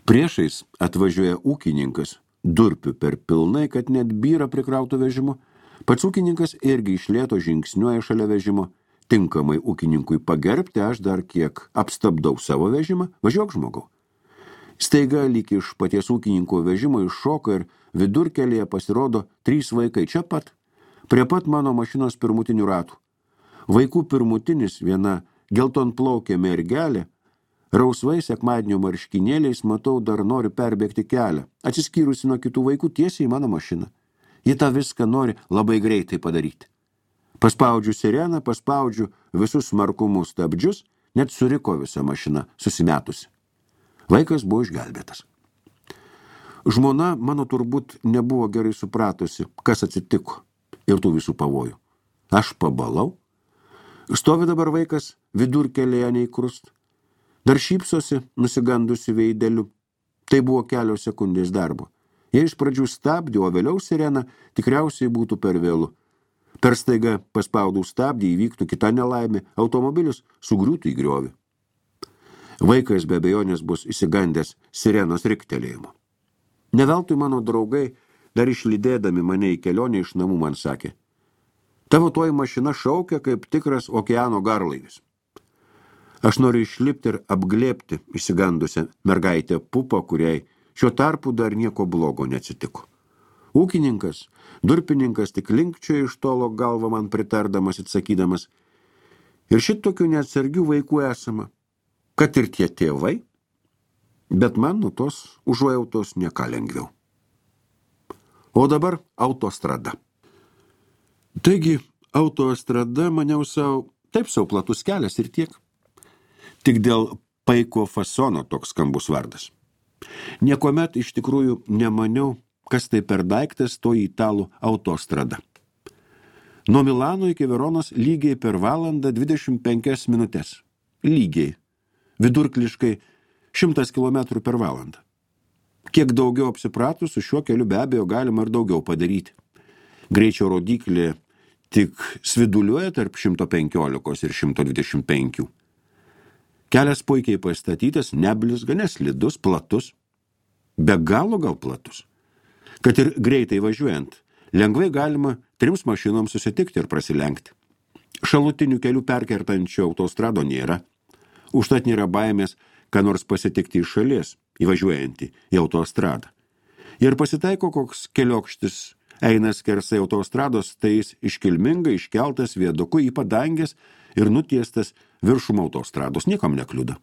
Priešais atvažiuoja ūkininkas, durpių per pilnai, kad net byra prikrautų vežimu. Pats ūkininkas irgi iš lėto žingsniuoja šalia vežimo. Tinkamai ūkininkui pagerbti, aš dar kiek apstabdau savo vežimą, važiuok žmogau. Staiga lyg iš paties ūkininko vežimo iššoka ir vidurkelyje pasirodo 3 vaikai čia pat, prie pat mano mašinos pirmutinių ratų. Vaikų pirmutinis, viena geltonplaukė mergelė, rausvai sekmadienio marškinėliais, matau, dar nori perbėgti kelią, atsiskyrusi nuo kitų vaikų tiesiai į mano mašiną. Ji tą viską nori labai greitai padaryti. Paspaudžiu sireną, paspaudžiu visus smarkumus stabdžius, net suriko visa mašina susimetusi. Vaikas buvo išgelbėtas. Žmona mano turbūt nebuvo gerai supratusi, kas atsitiko ir tų visų pavojų. Aš pabalau. Stovi dabar vaikas vidurkelėje neįkrust. Dar šypsosi, nusigandusi veideliu. Tai buvo kelios sekundės darbo. Jei iš pradžių stabdė, o vėliau sirena, tikriausiai būtų per vėlu. Per staiga paspaudų stabdį įvyktų kita nelaimė, automobilis sugriūtų į griovį. Vaikas be abejonės bus įsigandęs sirenos riktelėjimo. Neveltui mano draugai, dar išlydėdami mane į kelionę iš namų, man sakė: tavo toji mašina šaukia kaip tikras okeano garlaivis. Aš noriu išlipti ir apglėbti išsigandusią mergaitę Pupą, kuriai šiuo tarpu dar nieko blogo neatsitiko. Ūkininkas, durpininkas tik linkčiojo iš tolo galvą man pritardamas, atsakydamas: ir šitokių neatsargių vaikų esama, kad ir tie tėvai, bet man nuo tos užuojautos nieka lengviau. O dabar autostrada. Taigi, autostrada maniau taip sau platus kelias ir tiek. Tik dėl paiko fasono toks skambus vardas. Niekuomet iš tikrųjų nemaniau, kas tai per daiktas to italų autostrada. Nuo Milano iki Veronos lygiai per valandą 25 minutes. Lygiai. Vidurkliškai 100 km per valandą. Kiek daugiau apsipratus, su šiuo keliu be abejo galima ir daugiau padaryti. Greičio rodiklė tik sviduliuoja tarp 115 ir 125. Kelias puikiai pastatytas, neblizga, neslidus, platus. Be galo gal platus. Kad ir greitai važiuojant, lengvai galima 3 mašinoms susitikti ir prasilenkti. Šalutinių kelių perkertančio autostrado nėra. Užtat nėra baimės, ką nors pasitikti iš šalies, įvažiuojantį į autostradą. Ir pasitaiko koks keliokštis eina skersai autostrados, tai jis iškilmingai iškeltas viaduku į padangės ir nutiestas viršum autostrados, niekam nekliuda.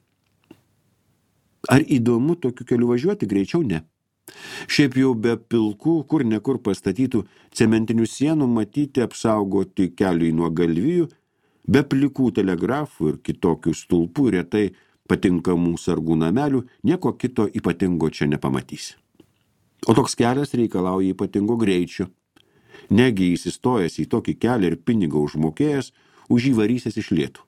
Ar įdomu tokiu keliu važiuoti? Greičiau ne. Šiaip jau be pilkų, kur nekur pastatytų cementinių sienų matyti apsaugoti keliui nuo galvijų, be plikų telegrafų ir kitokių stulpų retai patinkamų sargų namelių, nieko kito ypatingo čia nepamatysi. O toks kelias reikalauja ypatingo greičio. Negi įsistojęs į tokį kelią ir pinigą užmokėjęs, už jį varysies iš lėtų.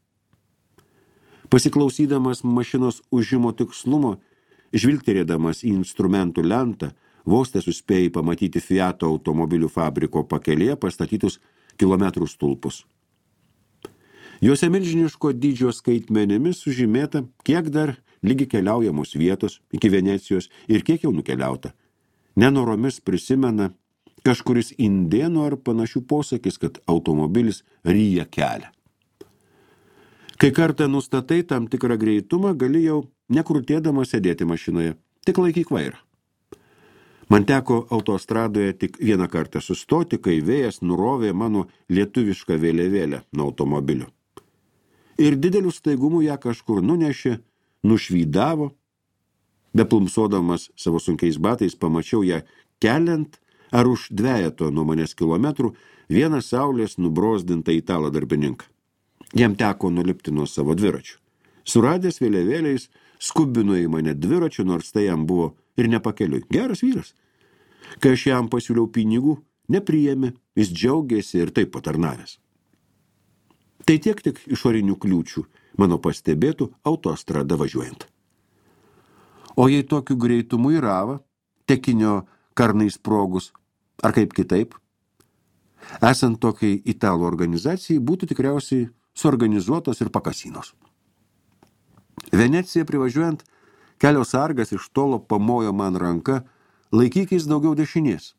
Pasiklausydamas mašinos užimo tikslumo, žvilgterėdamas į instrumentų lentą, vos suspėjai pamatyti Fiato automobilių fabriko pakelėje pastatytus kilometrų stulpus. Juose milžiniško dydžio skaitmenėmis sužymėta, kiek dar lygi keliaujamos vietos iki Venecijos ir kiek jau nukeliauta. Nenoromis prisimena kažkuris indėnų ar panašių posakis, kad automobilis ryja kelią. Kai kartą nustatai tam tikrą greitumą, gali jau nekrutėdama sėdėti mašinoje, tik laikyk vairą. Man teko autostradoje tik vieną kartą sustoti, kai vėjas nurovė mano lietuvišką vėliavėlę nuo automobilio. Ir dideliu staigumu ją kažkur nunešė, nušvydavo. Beplumsodamas savo sunkiais batais pamačiau ją keliant ar už 2 nuo manęs kilometrų vieną saulės nubrozdintą italą darbininką. Jam teko nulipti nuo savo dviračių. Suradęs vėliavėliais, skubino į mane dviračių, nors tai jam buvo ir nepakeliui. Geras vyras. Kai aš jam pasiūliau pinigų, nepriėmė, jis džiaugėsi ir taip patarnavęs. Tai tiek tik išorinių kliūčių, mano pastebėtų autostrada važiuojant. O jei tokiu greitumu į ravą, tekinio karnai sprogus, ar kaip kitaip, esant tokiai italų organizacijai, būtų tikriausiai suorganizuotos ir pakasinos. Venecija privažiuojant, kelio sargas iš tolo pamojo man ranka, laikykis daugiau dešinės.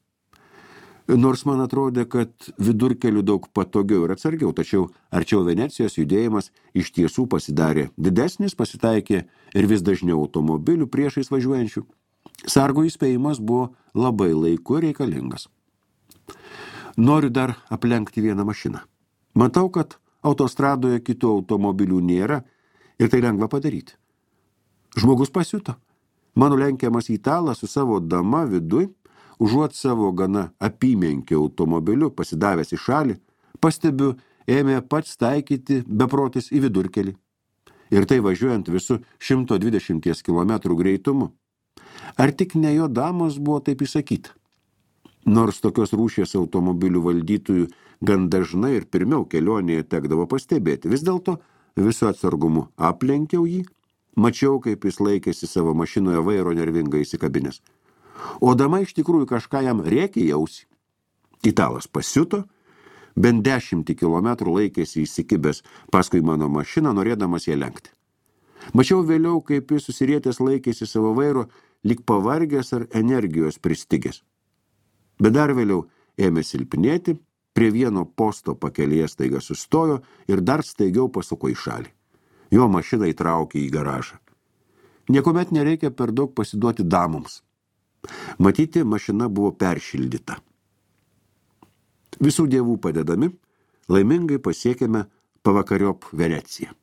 Nors man atrodė, kad vidurkeliu daug patogiau ir atsargiau, tačiau arčiau Venecijos judėjimas iš tiesų pasidarė didesnis, pasitaikė ir vis dažniau automobilių priešais važiuojančių. Sargo įspėjimas buvo labai laiku reikalingas. Noriu dar aplenkti vieną mašiną. Matau, kad autostradoje kitų automobilių nėra ir tai lengva padaryti. Žmogus pasiuto. Mano lenkiamas italas su savo dama viduj, užuot savo gana apymenkį automobiliu pasidavęs į šalį, pastebiu, ėmė pats taikyti beprotis į vidurkelį. Ir tai važiuojant visu 120 km greitumu. Ar tik ne jo damos buvo taip įsakyta? Nors tokios rūšies automobilių valdytojų gan dažnai ir pirmiau kelionėje tekdavo pastebėti, vis dėlto visu atsargumu aplenkiau jį, mačiau, kaip jis laikėsi savo mašinoje vairo nervingai įsikabinęs. O dama iš tikrųjų kažką jam rėkė į ausį. Italas pasiuto, bent 10 kilometrų laikėsi įsikibęs paskui mano mašiną, norėdamas ją lenkti. Mačiau vėliau, kaip jis susirietęs laikėsi savo vairo lyg pavargęs ar energijos pristigęs. Bet dar vėliau ėmė silpnėti, prie vieno posto pakelėje staiga sustojo ir dar staigiau pasuko į šalį. Jo mašiną įtraukė į garažą. Niekuomet nereikia per daug pasiduoti damoms. Matyti, mašina buvo peršildyta. Visų dievų padedami, laimingai pasiekėme pavakariop Veneciją.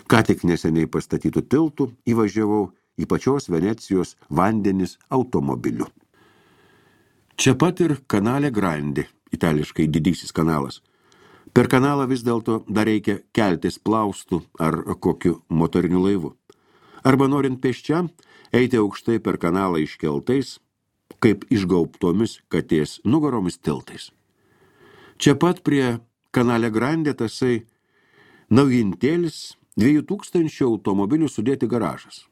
Ką tik neseniai pastatytų tiltų įvažiavau į pačios Venecijos vandenis automobiliu. Čia pat ir Canale Grande, itališkai didysis kanalas. Per kanalą vis dėlto dar reikia keltis plaustų ar kokiu motoriniu laivu. Arba norint pėsčiam, eiti aukštai per kanalą iškeltais, kaip išgaubtomis katės nugaromis tiltais. Čia pat prie Canale Grande tasai naujintėlis 2000 automobilių sudėti garažas.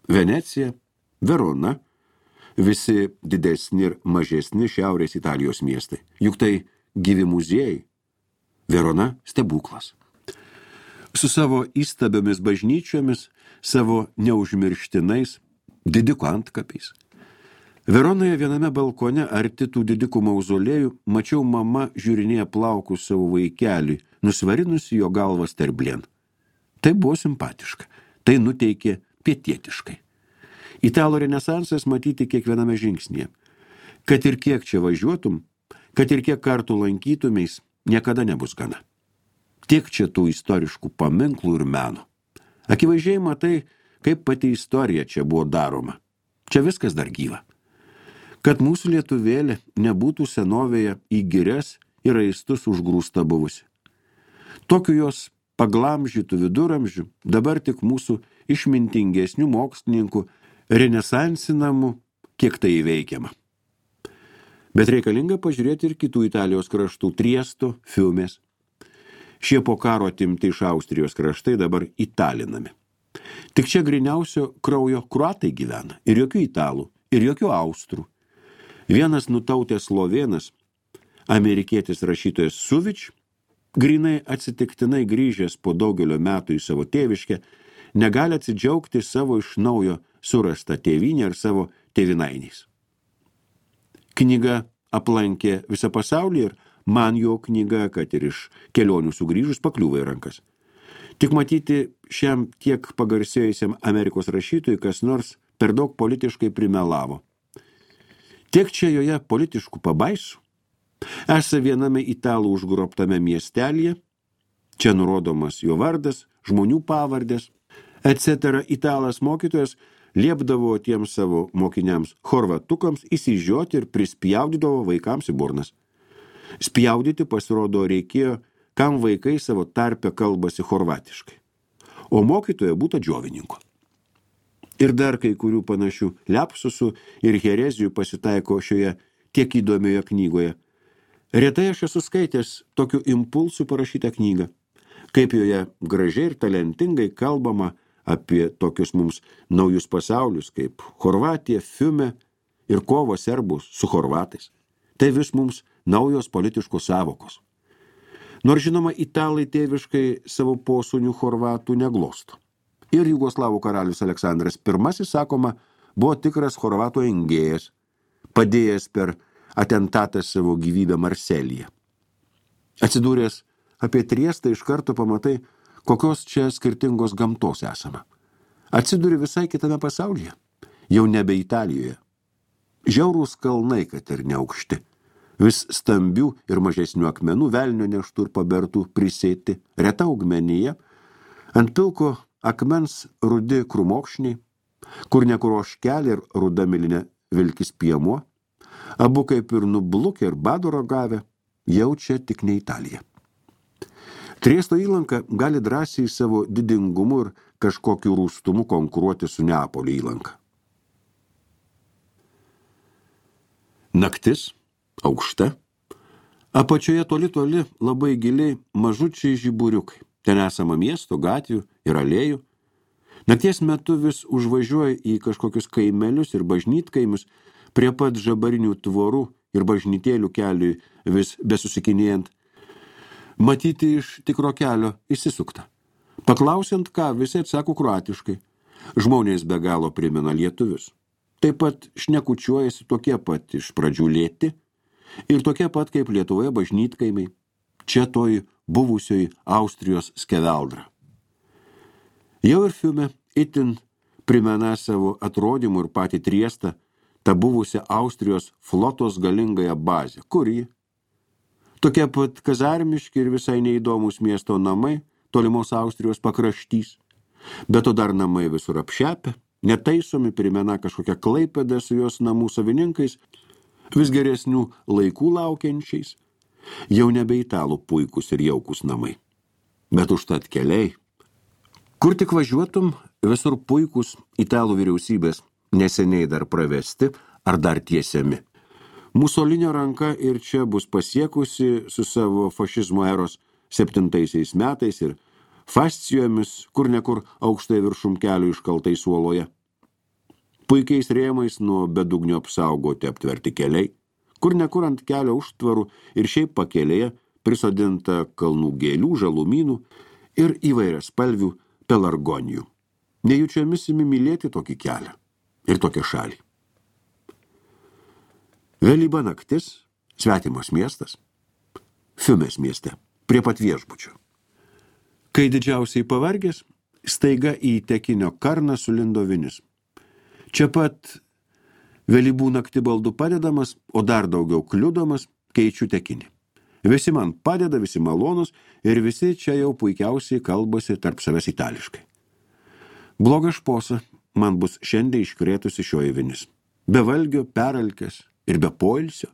Venecija, Verona, visi didesni ir mažesni šiaurės Italijos miestai. Juk tai gyvi muziejai. Verona stebuklas. Su savo įstabiomis bažnyčiomis, savo neužmirštinais didikų antkapiais. Veronoje viename balkone arti tų didikų mauzolėjų mačiau mama žiūrinėja plaukus savo vaikeliui, nusvarinusi jo galvą sterblien. Tai buvo simpatiška, tai nuteikė pietietiškai. Italų renesansas matyti kiekviename žingsnyje. Kad ir kiek čia važiuotum, kad ir kiek kartų lankytumeis, niekada nebus gana. Tiek čia tų istoriškų paminklų ir meno. Akivaizdžiai matai, kaip pati istorija čia buvo daroma. Čia viskas dar gyva. Kad mūsų lietuvėlė nebūtų senovėje į girias ir raistus užgrūsta buvusi. Tokiu jos paglamžytų viduramžių dabar tik mūsų išmintingesnių mokslininkų renesansinamų, kiek tai įveikiama. Bet reikalinga pažiūrėti ir kitų Italijos kraštų – Triesto, Fiumės. Šie po karo atimti iš Austrijos kraštai dabar italinami. Tik čia griniausio kraujo kruatai gyvena, ir jokių italų, ir jokių austrų. Vienas nutautęs slovėnas, amerikietis rašytojas Suvič, grinai atsitiktinai grįžęs po daugelio metų į savo tėviškę, negali atsidžiaugti savo iš naujo surastą tėvynę ir savo tėvinainiais. Knyga aplankė visą pasaulį ir man jo knyga, kad ir iš kelionių sugrįžus, pakliuvo į rankas. Tik matyti šiam tiek pagarsėjusiam Amerikos rašytojui kas nors per daug politiškai primelavo. Tiek čia joje politiškų pabaisų. Esą viename italų užgrobtame miestelėje, čia nurodomas jo vardas, žmonių pavardės, etc. Italas mokytojas liepdavo tiems savo mokiniams chorvatukams įsižioti ir prispjaudydavo vaikams į burnas. Spjaudyti pasirodo reikėjo, kam vaikai savo tarpe kalbasi chorvatiškai, o mokytoja būta džiovininko. Ir dar kai kurių panašių lepsusų ir herezijų pasitaiko šioje tiek įdomioje knygoje. Retai aš esu skaitęs tokiu impulsu parašytą knygą, kaip joje gražiai ir talentingai kalbama apie tokius mums naujus pasaulius, kaip Chorvatija, Fiume ir kova serbų su chorvatais. Tai vis mums naujos politiškos savokos. Nors žinoma, italai tėviškai savo posūnių chorvatų neglosto. Ir Jugoslavų karalius Aleksandras I, sakoma, buvo tikras chorvatų engėjas, padėjęs per atentatą savo gyvybę Marselyje. Atsidūręs apie Triestą iš karto pamatai, kokios čia skirtingos gamtos esama. Atsidūri visai kitame pasaulyje, jau nebe Italijoje. Žiaurūs kalnai, kad ir neaukšti. Vis stambių ir mažesnių akmenų, velnio neštų ir pabertų prisėti, reta augmenija, ant pilko akmens rudi krūmokšniai, kur nekur ožkelė ir ruda milinė vilkis piemuo, abu kaip ir nublukę ir bado ragavę, jaučia tik ne Italija. Triesto įlanka gali drąsiai savo didingumu ir kažkokiu rūstumu konkuruoti su Neapolio įlanka. Naktis, aukšta, apačioje toli labai giliai mažučiai žiburiukai. Ten esama miesto, gatvių ir alėjų. Nakties metu vis užvažiuoja į kažkokius kaimelius ir bažnytkaimius, prie pat žabarinių tvorų ir bažnytėlių keliui vis besusikinėjant. Matyti iš tikro kelio išsisukta. Paklausiant ką, visi atsako kroatiškai. Žmonės be galo primena lietuvius. Taip pat šnekučiuojasi tokie pat iš pradžių lėti ir tokie pat kaip Lietuvoje bažnytkaimiai, čia toj buvusioj Austrijos skeveldra. Jau ir Fiume itin primena savo atrodymu ir patį Triestą tą buvusią Austrijos flotos galingąją bazę. Kur ji? Tokie pat kazarmiški ir visai neįdomus miesto namai, tolimos Austrijos pakraštys. Bet to dar namai visur apšepę, netaisomi, primena kažkokią Klaipėdą su jos namų savininkais, vis geresnių laikų laukiančiais, jau nebe italų puikus ir jaukus namai. Bet užtat keliai. Kur tik važiuotum, visur puikus italų vyriausybės, neseniai dar pravesti ar dar tiesiami. Musolinio ranka ir čia bus pasiekusi su savo fašizmo eros 7 metais ir fascijomis, kur nekur aukštai viršum kelių iškaltais uoloje. Puikiais rėmais nuo bedugnio apsaugoti aptverti keliai, kur nekur ant kelio užtvarų ir šiaip pakelėje prisodinta kalnų gėlių, žalumynų ir įvairias spalvių pelargonijų. Nejučiomis imi mylėti tokį kelią ir tokią šalį. Vėlyva naktis, svetimos miestas, Fiumės mieste, prie pat viešbučio. Kai didžiausiai pavargęs, staiga į tekinio karną sulindo vinis. Čia pat vėlybų naktį baldų padedamas, o dar daugiau kliudomas, keičiu tekinį. Visi man padeda, visi malonus ir visi čia jau puikiausiai kalbasi tarp savęs itališkai. Bloga šposa man bus šiandien iškrėtusi šioji vinis. Be valgio, peralkės ir be poilsio.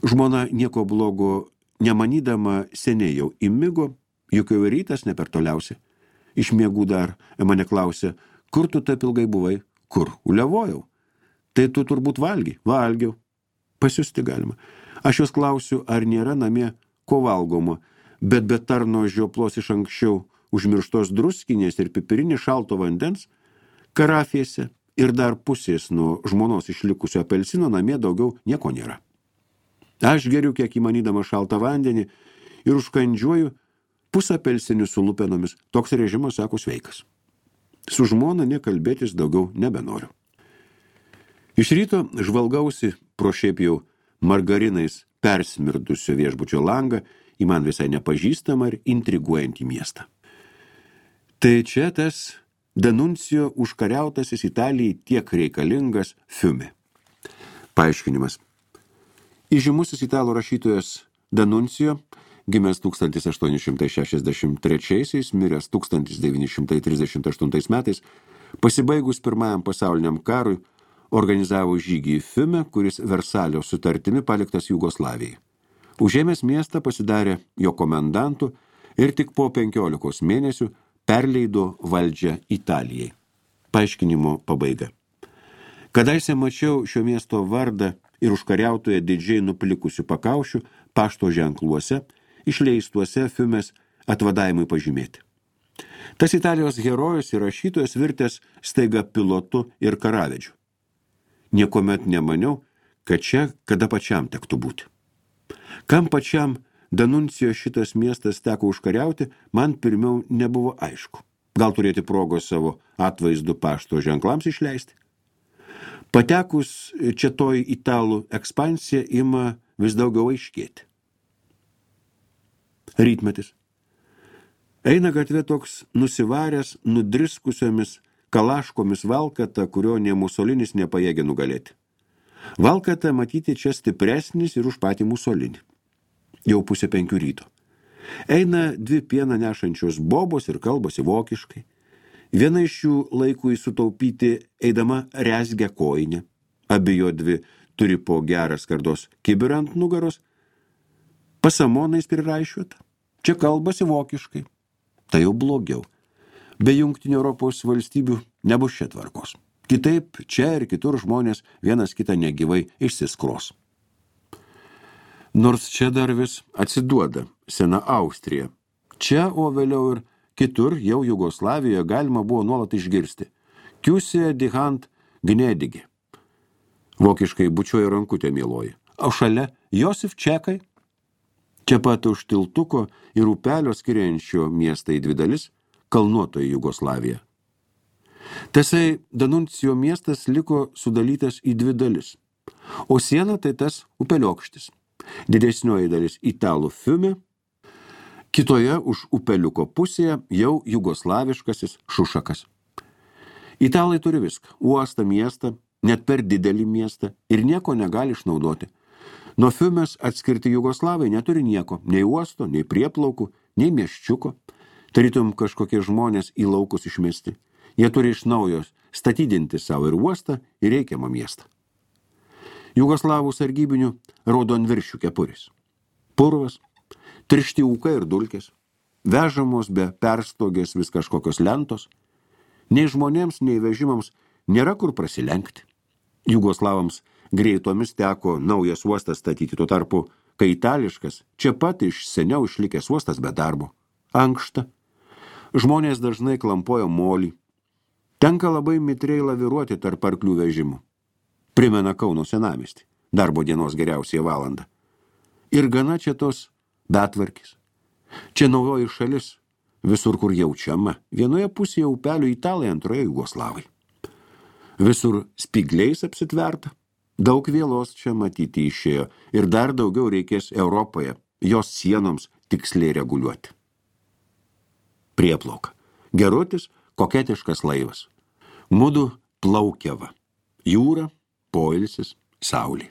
Žmona nieko blogo nemanydama seniai jau įmigo, juk jau rytas ne per toliausia. Iš miegų dar mane klausė, kur tu taip ilgai buvai? Kur? Uliavojau. Tai tu turbūt valgy? Valgiau. Pasiusti galima. Aš jos klausiu, ar nėra namie ko valgoma, bet be tarno žioplos iš anksčiau užmirštos druskinės ir pipirinės šalto vandens, karafėse ir dar pusės nuo žmonos išlikusio apelsino namie daugiau nieko nėra. Aš geriu kiek įmanydama šaltą vandenį ir užkandžiuoju pusapelsinių su lupenomis. Toks režimas, sako, sveikas. Su žmona nekalbėtis daugiau nebenoriu. Iš ryto žvalgausi pro šiaip jau margarinais persmirdusio viešbučio langą į man visai nepažįstamą ir intriguojantį miestą. Tai čia tas Danuncijo užkariautasis Italijai tiek reikalingas Fiume. Paaiškinimas. Įžymusis italų rašytojas Danuncijo, gimęs 1863, miręs 1938 metais, pasibaigus Pirmajam pasauliniam karui, organizavo žygį į Fiume, kuris Versalio sutartimi paliktas Jugoslavijai. Užėmęs miestą pasidarė jo komendantu ir tik po 15 mėnesių perleido valdžią Italijai. Paaiškinimo pabaiga. Kadaise mačiau šio miesto vardą ir užkariautoje didžiai nuplikusių pakaušių pašto ženkluose, išleistuose Fiumės atvadavimui pažymėti. Tas Italijos herojus ir rašytojas virtęs staiga pilotu ir karavedžiu. Niekuomet nemaniau, kad čia kada pačiam tektų būti. Kam pačiam Danuncijo šitas miestas teko užkariauti, man pirmiau nebuvo aišku. Gal turėti progos savo atvaizdų pašto ženklams išleisti? Patekus čia toj italų ekspansija ima vis daugiau aiškėti. Rytmetis. Eina gatvė toks nusivaręs, nudriskusiomis kalaškomis valkata, kurio nė Musolinis nepajėgė nugalėti. Valkata matyti čia stipresnis ir už patį Musolinį. Jau 4:30 ryto. Eina 2 pieną nešančios bobos ir kalbasi vokiškai. Viena iš jų laikui sutaupyti eidama rezgia kojinę. Abi jo 2 turi po gerą skardos kibirą ant nugaros. Pasamonais priraišiuota. Čia kalbasi vokiškai. Tai jau blogiau. Be Jungtinių Europos valstybių nebus čia tvarkos. Kitaip čia ir kitur žmonės vienas kitą negyvai išsiskros. Nors čia dar vis atsiduoda sena Austrija. Čia, o vėliau ir kitur, jau Jugoslavijoje galima buvo nuolat išgirsti. Kiusė dihant gnėdigi. Vokiškai bučiuoja rankutė mieloji. O šalia Josif Čekai. Čia pat už tiltuko ir upelio skiriančio miestą į 2 dalis kalnuotoji Jugoslavija. Tasai Danuncijo miestas liko sudalytas į dvi dalis, o siena tai tas upeliokštis. Didesnioji dalis italų Fiume, kitoje už upeliuko pusėje jau jugoslaviškasis Šušakas. Italai turi viską – uostą, miestą, net per didelį miestą ir nieko negali išnaudoti. Nuo Fiumės atskirti jugoslavai neturi nieko, nei uosto, nei prieplaukų, nei mieščiuko. Tarytum kažkokie žmonės į laukus išmesti. Jie turi iš naujo statydinti savo ir uostą, ir reikiamą miestą. Jugoslavų sargybinių raudonviršių kepuris. Purvas, tiršti ūkai ir dulkės, vežamos be perstogės vis kažkokios lentos. Nei žmonėms, nei vežimams nėra kur prasilenkti. Jugoslavams greitomis teko naujas uostas statyti, tuo tarpu, kai itališkas, čia pat iš seniau išlikęs uostas be darbo. Ankšta. Žmonės dažnai klampojo molį. Tenka labai mitriai laviruoti tarp arklių vežimų. Primena Kauno senamiestį, darbo dienos geriausiai valandą. Ir gana čia tos betvarkis. Čia naujoji šalis, visur kur jaučiama, vienoje pusėje upelio italai, antroje jugoslavai. Visur spigliais apsitverta, daug vėlos čia matyti išėjo ir dar daugiau reikės Europoje, jos sienoms tiksliai reguliuoti. Prieplauka. Gerutis, koketiškas laivas. Mudu plaukiava. Jūra, poilsis, saulė.